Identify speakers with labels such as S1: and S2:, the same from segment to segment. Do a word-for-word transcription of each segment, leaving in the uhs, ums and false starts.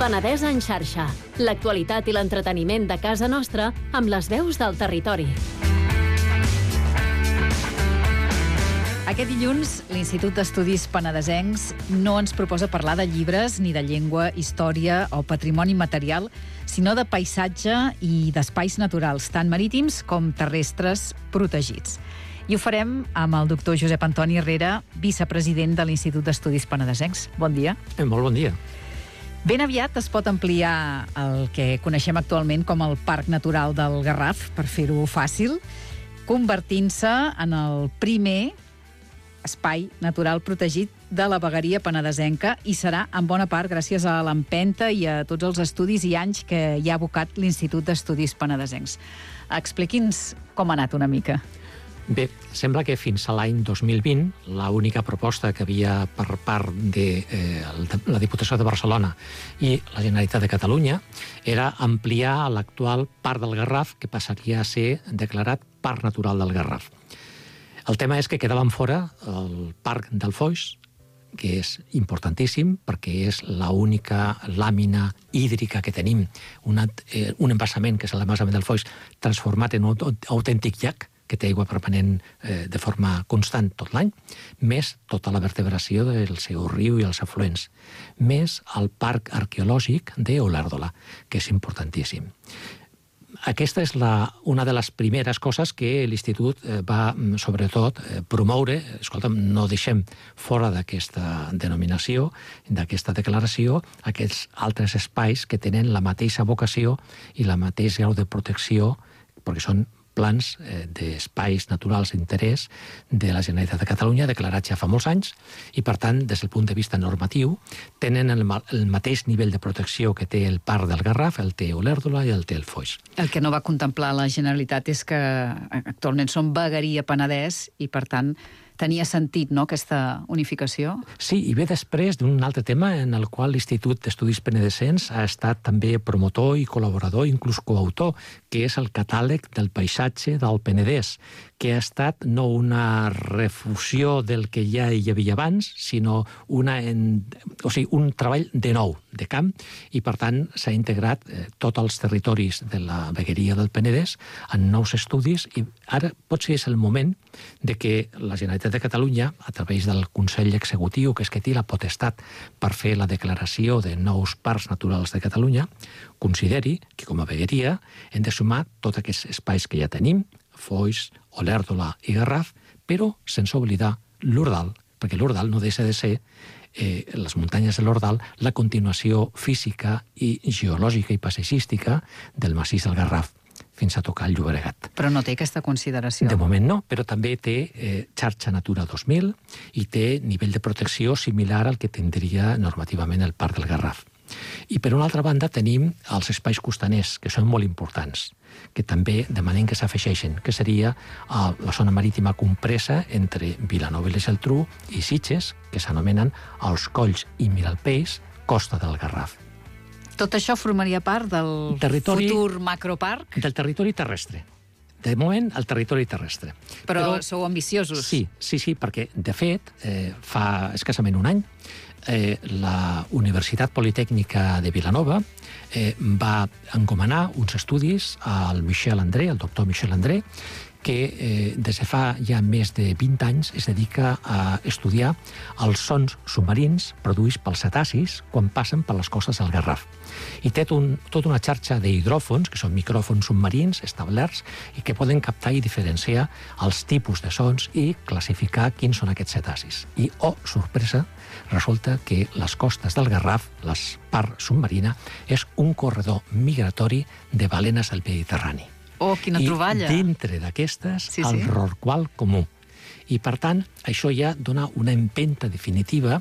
S1: Penedès en xarxa. L'actualitat i l'entreteniment de casa nostra amb les veus del territori.
S2: Aquest dilluns, l'Institut d'Estudis Penedesencs no ens proposa parlar de llibres, ni de llengua, història o patrimoni material, sinó de paisatge i d'espais naturals, tant marítims com terrestres protegits. I ho farem amb el doctor Josep Antoni Herrera, vicepresident de l'Institut d'Estudis Penedesencs. Bon dia.
S3: Eh, molt bon dia.
S2: Ben aviat es pot ampliar el que coneixem actualment com el Parc Natural del Garraf, per fer-ho fàcil, convertint-se en el primer espai natural protegit de la vegueria penedesenca i serà en bona part gràcies a l'empenta i a tots els estudis i anys que hi ha abocat l'Institut d'Estudis Penedesencs. Expliqui'ns com ha anat una mica.
S3: Bé, sembla que fins a l'any dos mil vint l'única proposta que havia per part de eh, la Diputació de Barcelona i la Generalitat de Catalunya era ampliar l'actual Parc del Garraf, que passaria a ser declarat Parc Natural del Garraf. El tema és que quedaven fora el Parc del Foix, que és importantíssim perquè és l'única làmina hídrica que tenim, una, eh, un embassament, que és l'embassament del Foix, transformat en un autèntic llac, que té aigua permanent eh, de forma constant tot l'any, més tota la vertebració del seu riu i els afluents, més el parc arqueològic d'Olèrdola, que és importantíssim. Aquesta és la, una de les primeres coses que l'Institut eh, va, sobretot, eh, promoure. Escolta'm, no deixem fora d'aquesta denominació, d'aquesta declaració, aquests altres espais que tenen la mateixa vocació i la mateix grau de protecció, perquè són plans eh, d'espais naturals d'interès de la Generalitat de Catalunya, declarats ja fa molts anys, i per tant, des del punt de vista normatiu, tenen el, el mateix nivell de protecció que té el Parc del Garraf, el té Olèrdola i el té el Foix.
S2: El que no va contemplar la Generalitat és que actualment som vegueria Penedès i, per tant, tenia sentit, no?, aquesta unificació?
S3: Sí, i ve després d'un altre tema en el qual l'Institut d'Estudis Penedesencs ha estat també promotor i col·laborador, inclús coautor, que és el catàleg del paisatge del Penedès, que ha estat no una refusió del que ja hi havia abans, sinó una en, o sigui, un treball de nou, de camp, i per tant s'ha integrat eh, tots els territoris de la vegueria del Penedès en nous estudis, i ara potser és el moment de que la Generalitat de Catalunya, a través del Consell Executiu, que és que té la potestat per fer la declaració de nous parcs naturals de Catalunya, consideri que com a vegueria hem de sumar tots aquests espais que ja tenim, Foix, Olèrdola i Garraf, però sense oblidar l'Ordal, perquè l'Ordal no deixa de ser, eh, les muntanyes de l'Ordal, la continuació física i geològica i paisatgística del massís del Garraf, fins a tocar el Llobregat.
S2: Però no té aquesta consideració.
S3: De moment no, però també té eh, xarxa Natura dos mil i té nivell de protecció similar al que tindria normativament el Parc del Garraf. I per una altra banda tenim els espais costaners, que són molt importants, que també demanem que s'afegeixen, que seria uh, la zona marítima compresa entre Vilanova i la Geltrú i Sitges, que s'anomenen els Colls i Miralpeix, Costa del Garraf.
S2: Tot això formaria part del
S3: territori,
S2: futur macroparc?
S3: Del territori terrestre. De moment, el territori terrestre.
S2: Però, Però sou ambiciosos.
S3: Sí, sí, sí, perquè, de fet, eh, fa escassament un any, eh, la Universitat Politècnica de Vilanova eh, va encomanar uns estudis al Michel André, al doctor Michel André, que eh, des de fa ja més de vint anys es dedica a estudiar els sons submarins produïts pels cetacis quan passen per les costes del Garraf. I té un, tota una xarxa d'hidròfons, que són micròfons submarins establerts i que poden captar i diferenciar els tipus de sons i classificar quins són aquests cetacis. I, oh, sorpresa, resulta que les costes del Garraf, la part submarina, és un corredor migratori de balenes del Mediterrani.
S2: Oh, quina troballa!
S3: I dintre d'aquestes, sí, sí, el rorqual comú. I, per tant, això ja dona una empenta definitiva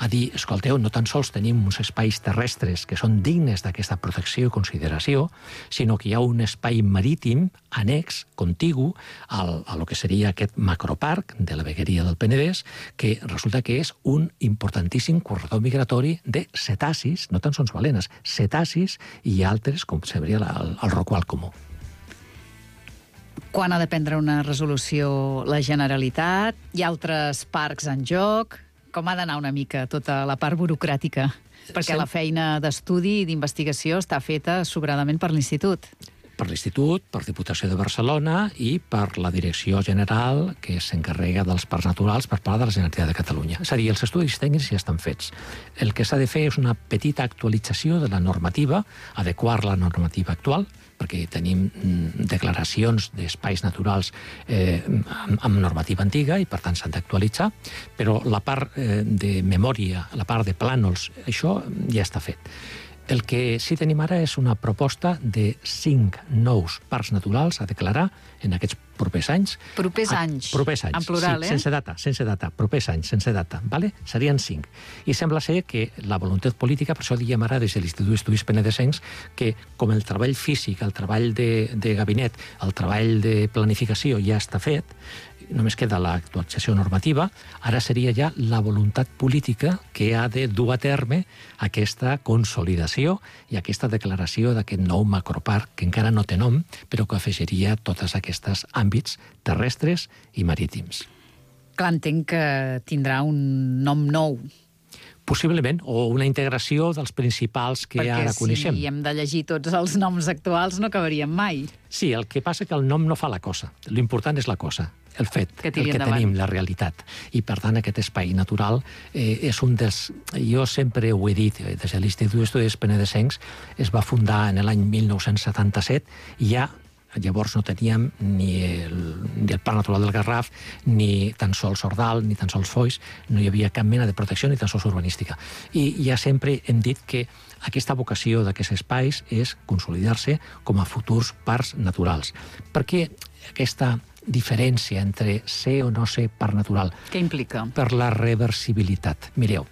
S3: a dir, escolteu, no tan sols tenim uns espais terrestres que són dignes d'aquesta protecció i consideració, sinó que hi ha un espai marítim annex, contigu, al, a lo que seria aquest macroparc de la vegueria del Penedès, que resulta que és un importantíssim corredor migratori de cetacis, no tan sols balenes, cetacis i altres, com seria el, el rorqual comú.
S2: Quan ha de prendre una resolució la Generalitat? Hi ha altres parcs en joc? Com ha d'anar una mica tota la part burocràtica? Perquè
S3: Sí.
S2: la feina d'estudi i d'investigació està feta sobradament per l'Institut.
S3: Per l'Institut, per Diputació de Barcelona i per la Direcció General que s'encarrega dels parcs naturals per part de la Generalitat de Catalunya. És a dir, els estudis tècnics ja estan fets. El que s'ha de fer és una petita actualització de la normativa, adequar la normativa actual, perquè tenim mm, declaracions d'espais naturals eh, amb, amb normativa antiga i, per tant, s'han d'actualitzar, però la part eh, de memòria, la part de plànols, això ja està fet. El que sí tenim ara és una proposta de cinc nous parcs naturals a declarar en aquests propers anys.
S2: Propers
S3: A,
S2: anys.
S3: Propers anys,
S2: En plural,
S3: sí,
S2: eh?
S3: sense data, sense data, propers anys, sense data, vale? Serien cinc. I sembla ser que la voluntat política, per això diem ara des de l'Institut d'Estudis Penedesencs, que com el treball físic, el treball de, de gabinet, el treball de planificació ja està fet, només queda l'actualització normativa, ara seria ja la voluntat política que ha de dur a terme aquesta consolidació i aquesta declaració d'aquest nou macroparc, que encara no té nom, però que afegiria tots aquests àmbits terrestres i marítims.
S2: Clar, entenc que tindrà un nom nou.
S3: Possiblement, o una integració dels principals que
S2: perquè
S3: ara coneixem.
S2: si hem de llegir tots els noms actuals no acabaríem mai.
S3: Sí, el que passa que el nom no fa la cosa. L'important és la cosa, el fet,
S2: Que
S3: el
S2: tiri
S3: que
S2: endavant.
S3: tenim, la realitat. I, per tant, aquest espai natural eh, és un dels... Jo sempre ho he dit, eh, des de l'Institut d'Estudis Penedesencs es va fundar en l'any mil nou-cents setanta-set i ja llavors no teníem ni el, ni el Parc Natural del Garraf, ni tan sols Ordal, ni tan sols Foix, no hi havia cap mena de protecció ni tan sols urbanística. I ja sempre hem dit que aquesta vocació d'aquests espais és consolidar-se com a futurs parcs naturals. Perquè aquesta diferència entre ser o no ser parc natural...
S2: Què implica?
S3: Per la reversibilitat. Mireu,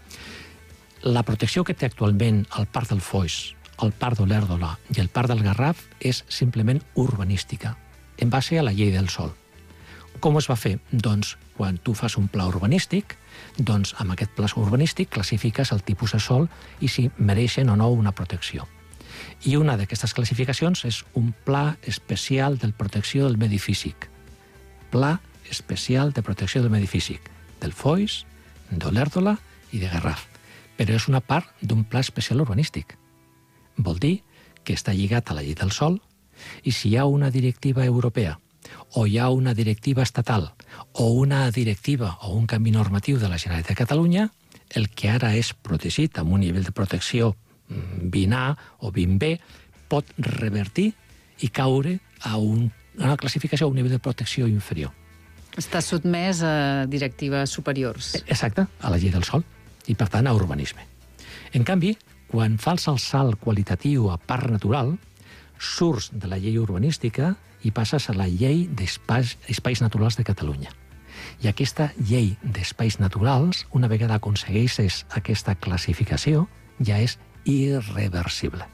S3: la protecció que té actualment el Parc del Foix, el Parc d'Olèrdola i el Parc del Garraf és simplement urbanística, en base a la llei del sòl. Com es va fer? Doncs quan tu fas un pla urbanístic, doncs amb aquest pla urbanístic classifiques el tipus de sòl i si mereixen o no una protecció. I una d'aquestes classificacions és un pla especial de protecció del medi físic. Pla especial de protecció del medi físic, del Foix, d'Olèrdola i de Garraf. Però és una part d'un pla especial urbanístic. Vol dir que està lligat a la llei del sòl i si hi ha una directiva europea o hi ha una directiva estatal o una directiva o un canvi normatiu de la Generalitat de Catalunya, el que ara és protegit amb un nivell de protecció vint A o vint B pot revertir i caure a un, una classificació a un nivell de protecció inferior.
S2: Està sotmès a directives superiors.
S3: Exacte, a la llei del sòl i, per tant, a urbanisme. En canvi, quan fas el salt qualitatiu a parc natural, surts de la llei urbanística i passes a la llei d'espais espais naturals de Catalunya. I aquesta llei d'espais naturals, una vegada aconsegueixes aquesta classificació, ja és irreversible.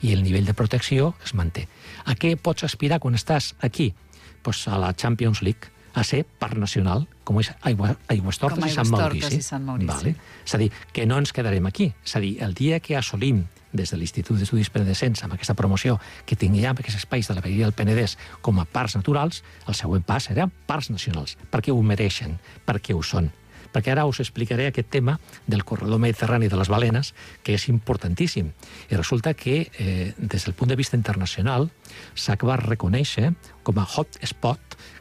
S3: I el nivell de protecció es manté. A què pots aspirar quan estàs aquí? Pues a la Champions League, a ser parc nacional, com és Aigua, Aigüestortes i Sant Maurici.
S2: i Sant Maurici.
S3: Vale. És a dir, que no ens quedarem aquí. És a dir, el dia que assolim des de l'Institut d'Estudis Penedesencs amb aquesta promoció que tinguem aquests espais de la Vegueria del Penedès com a parcs naturals, el següent pas serà parcs nacionals, perquè ho mereixen, perquè ho són. Perquè ara us explicaré aquest tema del corredor mediterrani de les balenes, que és importantíssim. I resulta que, eh, des del punt de vista internacional, s'acaba de reconèixer com a hot spot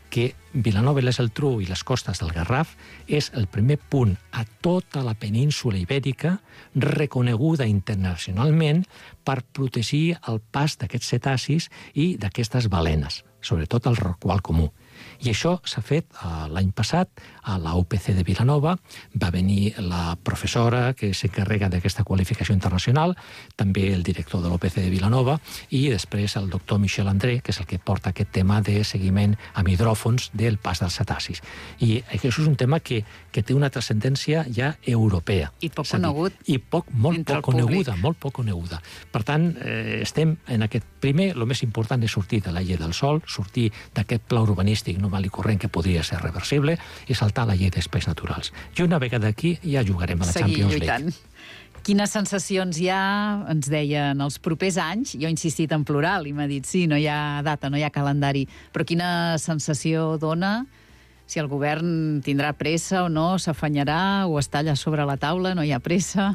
S3: que Vilanova i la Geltrú i les costes del Garraf és el primer punt a tota la península ibèrica reconeguda internacionalment per protegir el pas d'aquests cetacis i d'aquestes balenes, sobretot el rorqual comú. I això s'ha fet l'any passat a la U P C de Vilanova. Va venir la professora que s'encarrega d'aquesta qualificació internacional, també el director de l'U P C de Vilanova i després el doctor Michel André, que és el que porta aquest tema de seguiment amb hidròfons del pas dels cetacis. I això és un tema que, que té una transcendència ja europea.
S2: I poc conegut.
S3: I poc, molt
S2: entre
S3: poc
S2: el
S3: coneguda,
S2: públic.
S3: molt poc coneguda. Per tant, eh, estem en aquest primer, el més important és sortir de la llei del sòl, sortir d'aquest pla urbanístic normal i corrent que podria ser reversible i saltar a la llei d'espais naturals. I una vegada aquí ja jugarem a la
S2: Seguir
S3: Champions
S2: lluitant.
S3: League.
S2: Quines sensacions hi ha, ens deia, en els propers anys? Jo he insistit en plural i m'ha dit, sí, no hi ha data, no hi ha calendari, però quina sensació dona si el govern tindrà pressa o no, s'afanyarà o està allà sobre la taula, no hi ha pressa...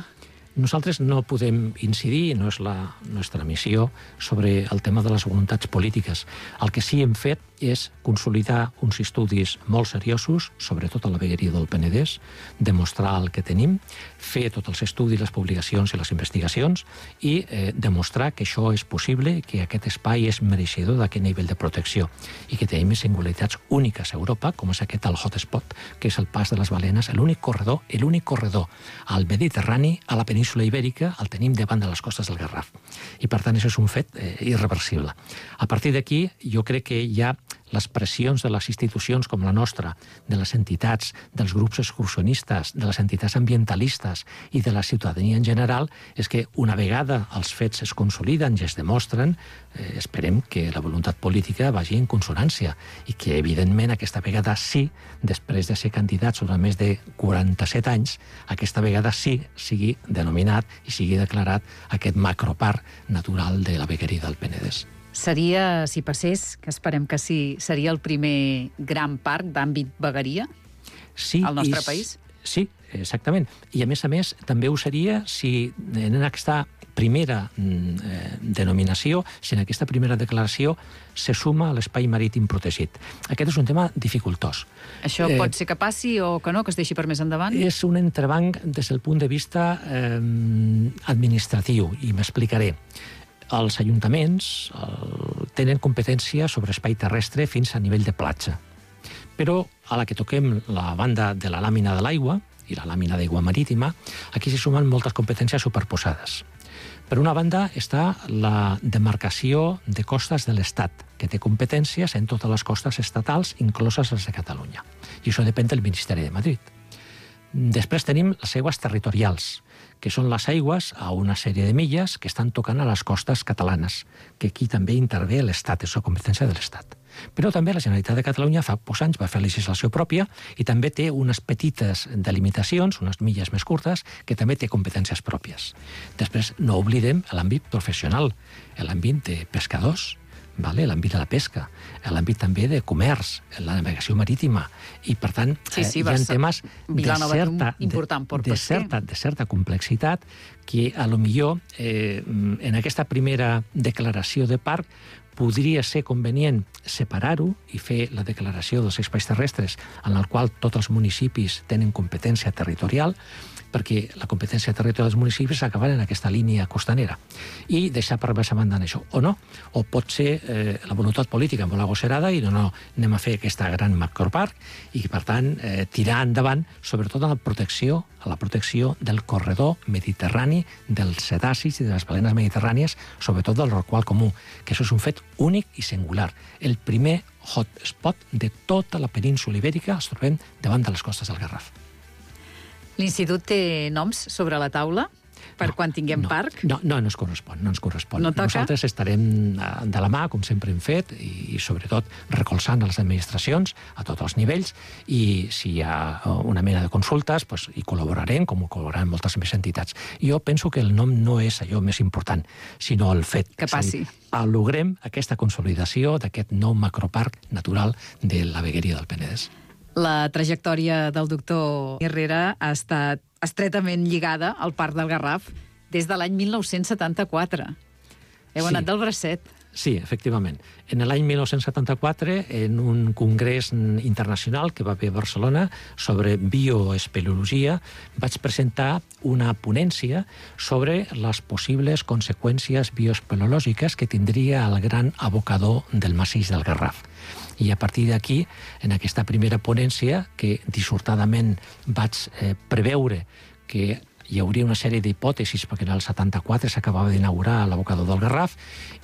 S3: Nosaltres no podem incidir, no és la nostra missió, sobre el tema de les voluntats polítiques. El que sí hem fet és consolidar uns estudis molt seriosos, sobretot a la vegueria del Penedès, demostrar el que tenim, fer tots els estudis, les publicacions i les investigacions i eh, demostrar que això és possible, que aquest espai és mereixedor d'aquest nivell de protecció i que tenim singularitats úniques a Europa, com és aquest el hotspot, que és el pas de les balenes, l'únic corredor, l'únic corredor al Mediterrani, a la península Ibèrica, el tenim davant de les costes del Garraf. I, per tant, això és un fet eh, irreversible. A partir d'aquí, jo crec que hi ha les pressions de les institucions com la nostra, de les entitats, dels grups excursionistes, de les entitats ambientalistes i de la ciutadania en general, és que una vegada els fets es consoliden i es demostren, eh, esperem que la voluntat política vagi en consonància i que, evidentment, aquesta vegada sí, després de ser candidats durant més de quaranta-set anys, aquesta vegada sí sigui denominat i sigui declarat aquest macroparc natural de la vegueria del Penedès.
S2: Seria, si passés, que esperem que sí, seria el primer gran parc d'àmbit vegueria
S3: sí,
S2: al nostre
S3: i,
S2: país?
S3: Sí, exactament. I, a més a més, també ho seria si en aquesta primera eh, denominació, si en aquesta primera declaració se suma a l'espai marítim protegit. Aquest és un tema dificultós.
S2: Això eh, pot ser que passi o que no, que es deixi per més endavant?
S3: És un entrebanc des del punt de vista eh, administratiu, i m'explicaré. Els ajuntaments el, tenen competència sobre espai terrestre fins a nivell de platja. Però a la que toquem la banda de la làmina de l'aigua i la làmina d'aigua marítima, aquí s'hi sumen moltes competències superposades. Per una banda està la demarcació de costes de l'Estat, que té competències en totes les costes estatals, incloses les de Catalunya. I això depèn del Ministeri de Madrid. Després tenim les aigües territorials, que són les aigües a una sèrie de milles que estan tocant a les costes catalanes, que aquí també intervé l'Estat, és la competència de l'Estat. Però també la Generalitat de Catalunya fa pocs anys va fer legislació pròpia i també té unes petites delimitacions, unes milles més curtes, que també té competències pròpies. Després no oblidem l'àmbit professional, l'àmbit de pescadors, vale? L'àmbit de la pesca, l'àmbit també de comerç, la navegació marítima, i per tant
S2: sí, sí,
S3: eh, hi ha temes de certa,
S2: important
S3: de, de, certa, de certa complexitat que a lo millor eh, en aquesta primera declaració de parc podria ser convenient separar-ho i fer la declaració dels espais terrestres en el qual tots els municipis tenen competència territorial, perquè la competència territorial dels municipis s'acaba en aquesta línia costanera i deixar per més a banda això, o no, o pot ser eh, la voluntat política molt agosserada i no, no, anem a fer aquesta gran macroparc i per tant eh, tirar endavant sobretot a la protecció a la protecció del corredor mediterrani dels cetacis i de les balenes mediterrànies, sobretot del rorqual comú, que això és un fet únic i singular. El primer hotspot de tota la península ibèrica els trobem davant de les costes del Garraf.
S2: L'Institut té noms sobre la taula per
S3: no,
S2: quan tinguem
S3: no,
S2: parc?
S3: No, no, no ens correspon. No ens correspon.
S2: No toca?
S3: Nosaltres estarem de la mà, com sempre hem fet, i, i sobretot recolzant a les administracions a tots els nivells, i si hi ha una mena de consultes, pues, hi col·laborarem, com ho col·laboraran moltes més entitats. Jo penso que el nom no és allò més important, sinó el fet.
S2: Que passi.
S3: Logrem aquesta consolidació d'aquest nou macroparc natural de la vegueria del Penedès.
S2: La trajectòria del doctor Herrera ha estat estretament lligada al Parc del Garraf des de l'any mil nou-cents setanta-quatre. Heu
S3: sí.
S2: anat del bracet.
S3: Sí, efectivament. En l'any mil nou-cents setanta-quatre, en un congrés internacional que va haver a Barcelona sobre bioespeleologia, vaig presentar una ponència sobre les possibles conseqüències bioespeleològiques que tindria el gran abocador del massís del Garraf. I a partir d'aquí, en aquesta primera ponència, que dissortadament vaig eh, preveure que hi hauria una sèrie d'hipòtesis, perquè en el setanta-quatre s'acabava d'inaugurar l'abocador del Garraf,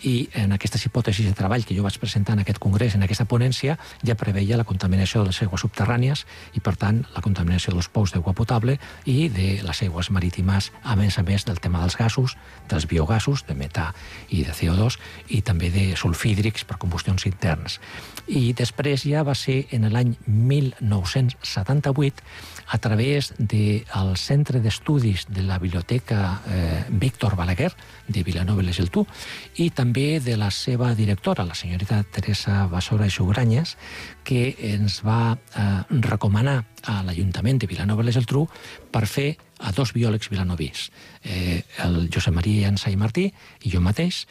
S3: i en aquestes hipòtesis de treball que jo vaig presentar en aquest congrés, en aquesta ponència, ja preveia la contaminació de les aigües subterrànies i, per tant, la contaminació dels pous d'aigua potable i de les aigües marítimes, a més a més del tema dels gasos, dels biogasos, de metà i de C O dos, i també de sulfídrics per combustions internes. I després ja va ser en l'any mil nou-cents setanta-vuit, a través del Centre d'Estudi estudis de la Biblioteca eh, Víctor Balaguer, de Vilanova i la Geltrú, i també de la seva directora, la senyorita Teresa Basora i Sugranyes, que ens va eh, recomanar a l'Ajuntament de Vilanova i la Geltrú per fer a dos biòlegs vilanovis, eh, el Josep Maria Llança i Martí i jo mateix.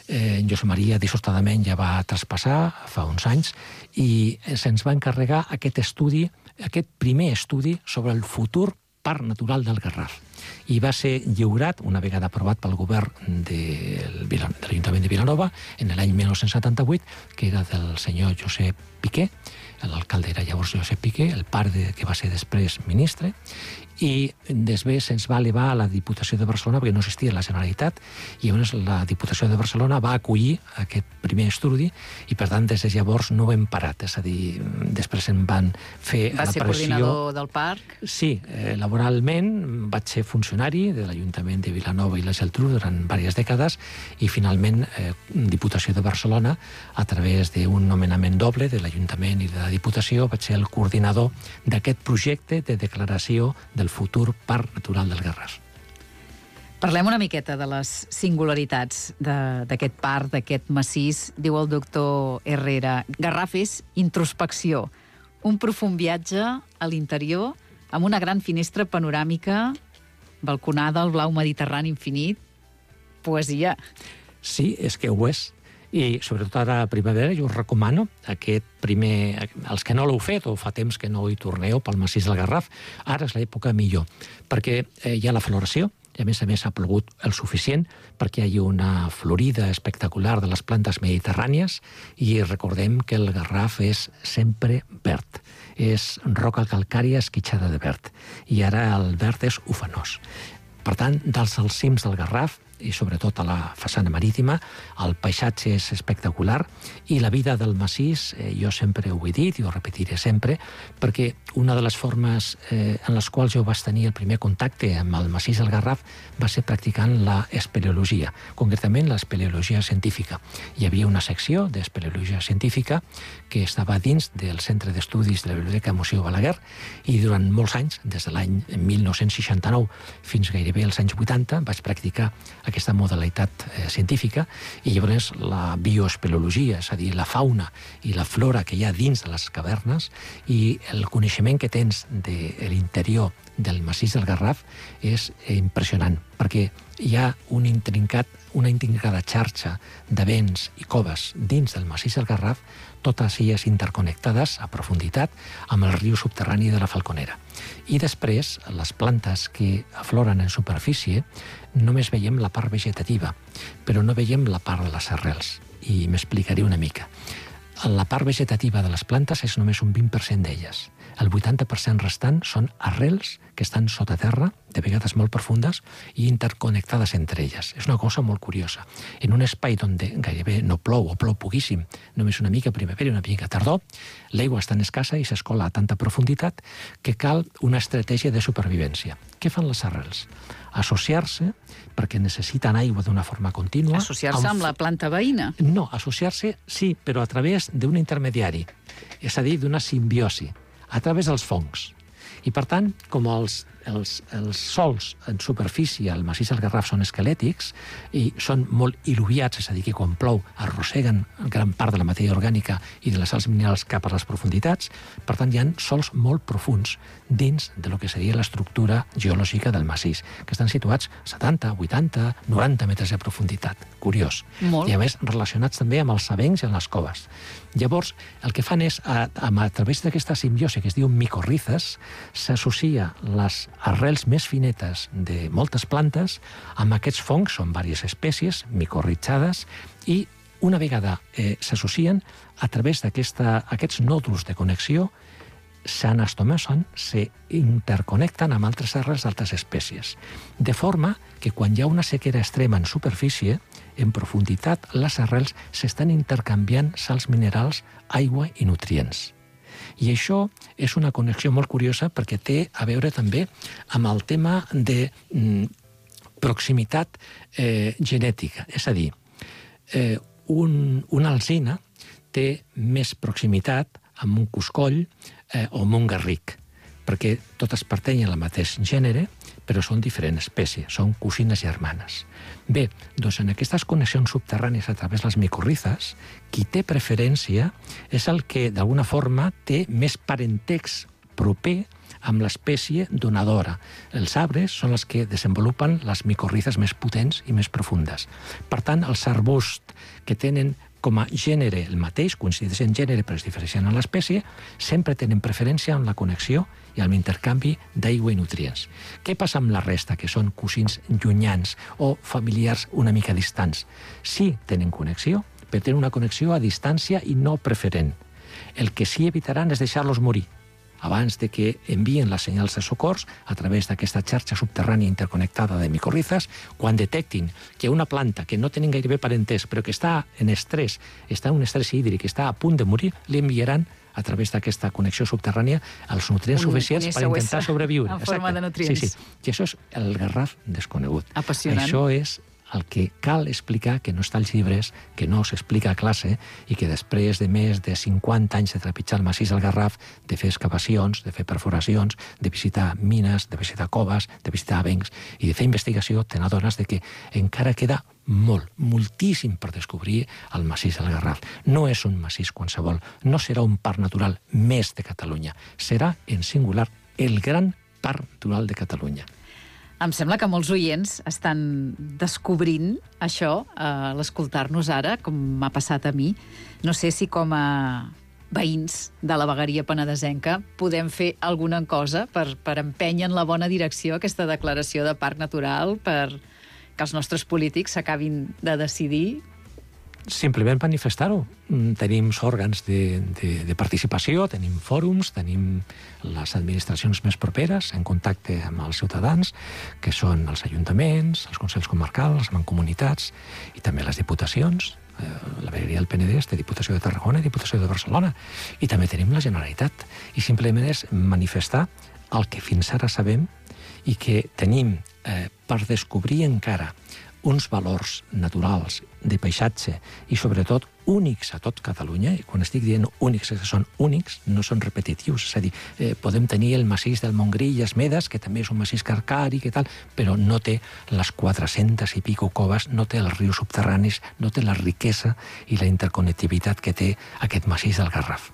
S3: Eh, Josep Maria dissortadament ja va traspassar fa uns anys i se'ns va encarregar aquest estudi, aquest primer estudi sobre el futur Parc Natural del Garraf. I va ser lliurat, una vegada aprovat pel govern de l'Ajuntament de Vilanova, en l'any mil nou-cents setanta-vuit, que era del senyor Josep Piqué, l'alcalde era llavors Josep Piqué, el pare de, que va ser després ministre, i després se'ns va elevar a la Diputació de Barcelona perquè no existia la Generalitat, i llavors la Diputació de Barcelona va acollir aquest primer estudi i per tant des de llavors no ho hem parat, és a dir, després en van fer
S2: va
S3: la pressió.
S2: Va ser coordinador del parc?
S3: Sí, eh, laboralment vaig ser funcionari de l'Ajuntament de Vilanova i la Geltrú durant diverses dècades i finalment eh, Diputació de Barcelona, a través d'un nomenament doble de l'Ajuntament i de la Diputació, vaig ser el coordinador d'aquest projecte de declaració del futur Parc Natural del Garraf.
S2: Parlem una miqueta de les singularitats d'aquest parc, d'aquest massís. Diu el doctor Herrera, Garraf és introspecció, un profund viatge a l'interior amb una gran finestra panoràmica, balconada al blau mediterrani infinit, poesia.
S3: Sí, és que ho és. I sobretot ara a primavera jo us recomano aquest primer, els que no l'heu fet o fa temps que no hi torneu pel massís del Garraf, ara és l'època millor, perquè eh, hi ha la floració, i a més a més ha plogut el suficient perquè hi ha una florida espectacular de les plantes mediterrànies i recordem que el Garraf és sempre verd, és roca calcària esquitxada de verd, i ara el verd és ufanós. Per tant, dels als cims del Garraf, i sobretot a la façana marítima, el paisatge és espectacular i la vida del massís, eh, jo sempre ho he dit i ho repetiré sempre, perquè una de les formes eh, en les quals jo vaig tenir el primer contacte amb el massís del Garraf va ser practicant la espeleologia, concretament l'espeleologia científica. Hi havia una secció d'espeleologia científica que estava dins del Centre d'Estudis de la Biblioteca Museu Balaguer i durant molts anys, des de l'any mil nou-cents seixanta-nou fins gairebé als anys vuitanta, vaig practicar aquesta modalitat eh, científica i llavors la bioespeleologia, és a dir, la fauna i la flora que hi ha dins de les cavernes i el coneixement que tens de l'interior del massís del Garraf és impressionant, perquè hi ha un intrincat, una intrincada xarxa de vents i coves dins del massís del Garraf, totes elles interconnectades a profunditat amb el riu subterrani de la Falconera. I després, les plantes que afloren en superfície, només veiem la part vegetativa, però no veiem la part de les arrels. I m'explicaré una mica. La part vegetativa de les plantes és només un vint per cent d'elles. El vuitanta per cent restant són arrels que estan sota terra, de vegades molt profundes, i interconnectades entre elles. És una cosa molt curiosa. En un espai on gairebé no plou o plou poquíssim, només una mica primavera i una mica tardor, l'aigua és tan escassa i s'escola a tanta profunditat que cal una estratègia de supervivència. Què fan les arrels? Associar-se, perquè necessiten aigua d'una forma contínua.
S2: Associar-se amb, amb la planta veïna?
S3: No, associar-se sí, però a través d'un intermediari, és a dir, d'una simbiosi, a través dels fongs. I per tant, com els, els, els sols en superfície al massís del Garraf són esquelètics i són molt il·luviats, és a dir, que quan plou arrosseguen gran part de la matèria orgànica i de les sals minerals cap a les profunditats, per tant hi ha sols molt profuns dins de lo que seria l'estructura geològica del massís, que estan situats setanta, vuitanta, noranta metres de profunditat. Curiós.
S2: Molt.
S3: I a més relacionats també amb els avencs i amb les coves. Llavors, el que fan és, a, a, a través d'aquesta simbiosi que es diu micorrizes, s'associa les arrels més finetes de moltes plantes amb aquests fongs, són diverses espècies micorritzades, i una vegada eh, s'associen, a través d'aquests nòduls de connexió s'anastomosen, s'interconnecten amb altres arrels d'altres espècies. De forma que quan hi ha una sequera extrema en superfície, en profunditat, les arrels s'estan intercanviant sals minerals, aigua i nutrients. I això és una connexió molt curiosa perquè té a veure també amb el tema de mm, proximitat eh, genètica. És a dir, eh, un, una alzina té més proximitat amb un coscoll eh, o amb un garric. perquè totes pertanyen al mateix gènere, però són diferents espècies, són cosines germanes. Bé, doncs en aquestes connexions subterrànies a través de les micorrizes, qui té preferència és el que d'alguna forma té més parentex proper amb l'espècie donadora. Els arbres són els que desenvolupen les micorrizes més potents i més profundes. Per tant, els arbusts que tenen com a gènere el mateix, coincideixen en gènere però es diferencien en l'espècie, sempre tenen preferència en la connexió i en l'intercanvi d'aigua i nutrients. Què passa amb la resta, que són cosins llunyans o familiars una mica distants? Sí, tenen connexió, però tenen una connexió a distància i no preferent. El que sí evitaran és deixar-los morir abans de que envien les senyals de socors a través d'aquesta xarxa subterrània interconnectada de micorrizes. Quan detectin que una planta que no tenen gairebé parentès, però que està en estrès, està en un estrès hídric, està a punt de morir, li enviaran a través d'aquesta connexió subterrània els nutrients un, suficients un per intentar sobreviure.
S2: En forma de nutrients.
S3: Sí, sí. I això és el garraf desconegut.
S2: Apassionant.
S3: Això és el que cal explicar, que no està als llibres, que no s'explica a classe, i que després de més de cinquanta anys de trepitjar el massís del Garraf, de fer excavacions, de fer perforacions, de visitar mines, de visitar coves, de visitar avencs i de fer investigació, te n'adones de que encara queda molt, moltíssim per descobrir el massís del Garraf. No és un massís qualsevol, no serà un parc natural més de Catalunya, serà, en singular, el gran parc natural de Catalunya.
S2: Em sembla que molts oients estan descobrint això a l'escoltar-nos ara, com m'ha passat a mi. No sé si com a veïns de la vegueria penedesenca podem fer alguna cosa per, per empènyer en la bona direcció aquesta declaració de parc natural, per que els nostres polítics s'acabin de decidir.
S3: Simplement manifestar-ho. Tenim òrgans de, de, de participació, tenim fòrums, tenim les administracions més properes en contacte amb els ciutadans, que són els ajuntaments, els consells comarcals, les mancomunitats i també les diputacions. La vegueria del Penedès té Diputació de Tarragona i Diputació de Barcelona. I també tenim la Generalitat. I simplement és manifestar el que fins ara sabem i que tenim eh, per descobrir encara uns valors naturals de paisatge i sobretot únics a tot Catalunya, i quan estic dient únics és que són únics, no són repetitius, és a dir, eh, podem tenir el massís del Montgrí i Esmedes, que també és un massís calcari, que tal, però no té les quatre-centes i pico coves, no té els rius subterranis, no té la riquesa i la interconnectivitat que té aquest massís del Garraf.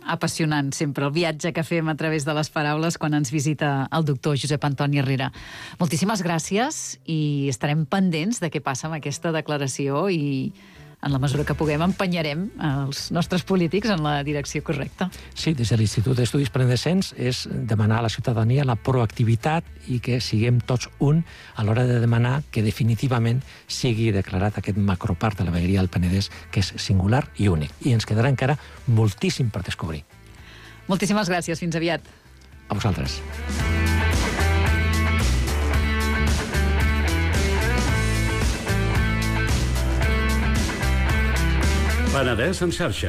S2: Apassionant sempre el viatge que fem a través de les paraules quan ens visita el doctor Josep Antoni Herrera. Moltíssimes gràcies i estarem pendents de què passa amb aquesta declaració i en la mesura que puguem empenyarem els nostres polítics en la direcció correcta.
S3: Sí, des de l'Institut d'Estudis Penedescents és demanar a la ciutadania la proactivitat i que siguem tots un a l'hora de demanar que definitivament sigui declarat aquest macroparc de la vegueria del Penedès, que és singular i únic. I ens quedarà encara moltíssim per descobrir.
S2: Moltíssimes gràcies. Fins aviat.
S3: A vosaltres.
S4: Penedès en xarxa,